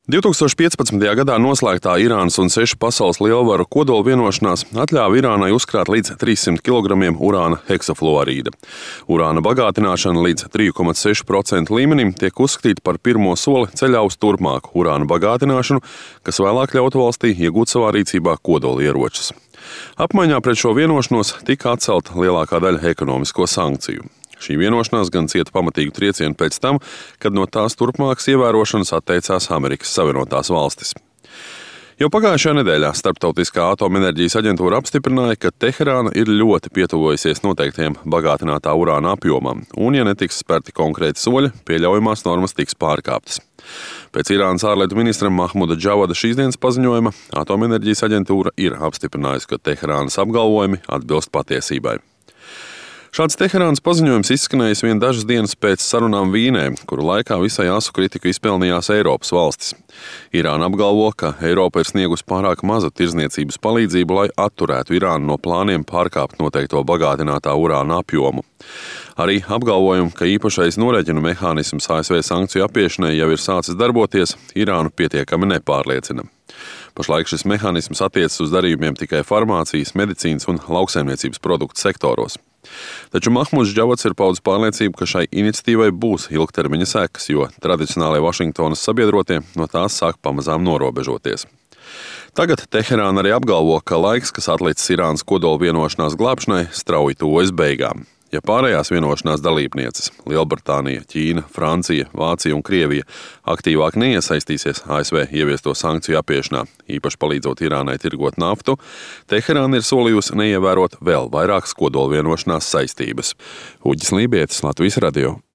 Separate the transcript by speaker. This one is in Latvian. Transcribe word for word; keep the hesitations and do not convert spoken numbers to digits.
Speaker 1: divtūkstoš piecpadsmitajā gadā noslēgtā Irānas un sešu pasaules lielvaru kodola vienošanās atļāva Irānai uzkrāt līdz trīssimt kilogramiem urāna heksafluorīda. Urāna bagātināšana līdz trīs komats seši procenti līmenim tiek uzskatīta par pirmo soli ceļā uz turpmāku urāna bagātināšanu, kas vēlāk ļautu valstī iegūt savā rīcībā kodolieročus. Apmaiņā pret šo vienošanos tika atcelta lielākā daļa ekonomisko sankciju. Šī vienošanās gan cieta pamatīgu triecienu pēc tam, kad no tās turpmākas ievērošanas atteicās Amerikas Savienotās valstis. Jau pagājušajā nedēļā Starptautiskā atomenerģijas aģentūra apstiprināja, ka Teherāna ir ļoti pietuvojusies noteiktajam bagātinātā urāna apjomam, un, ja netiks spērti konkrēti soļi, pieļaujamās normas tiks pārkāptas. Pēc Irānas ārlietu ministra Mahmuda Džavada šīsdienas paziņojuma atomenerģijas aģentūra ir apstiprinājusi, ka Teherānas apgalvojumi atbilst patiesībai. Šāds Teherānas paziņojums izskanējis vien dažas dienas pēc sarunām Vīnē, kuru laikā visai asu kritiku izpelnījās Eiropas valstis. Irāna apgalvo, ka Eiropa ir sniegusi pārāk mazu tirdzniecības palīdzību, lai atturētu Irānu no plāniem pārkāpt noteikto bagātinātā urāna apjomu. Arī apgalvojumu, ka īpašais norēķinu mehānisms A S V sankciju apiešanai jau ir sācis darboties, Irānu pietiekami nepārliecina. Pašlaik šis mehānisms attiecas uz darījumiem tikai farmācijas, medicīnas un lauksaimniecības produktu sektoros. Taču Mahmuds Džavads ir paudis pārliecību, ka šai iniciatīvai būs ilgtermiņa sekas, jo tradicionālie Vašingtonas sabiedrotie no tās sāk pamazām norobežoties. Tagad Teherāna arī apgalvo, ka laiks, kas atlicis Irānas kodola vienošanās glābšanai, strauji tuvojas beigām. Ja pārējās vienošanās dalībnieces – Lielbritānija, Ķīna, Francija, Vācija un Krievija – aktīvāk neiesaistīsies A S V ieviesto sankciju apiešanā, īpaši palīdzot Irānai tirgot naftu, Teherāna ir solījusi neievērot vēl vairākas kodola vienošanās saistības. Uģis Lībietis, Latvijas radio.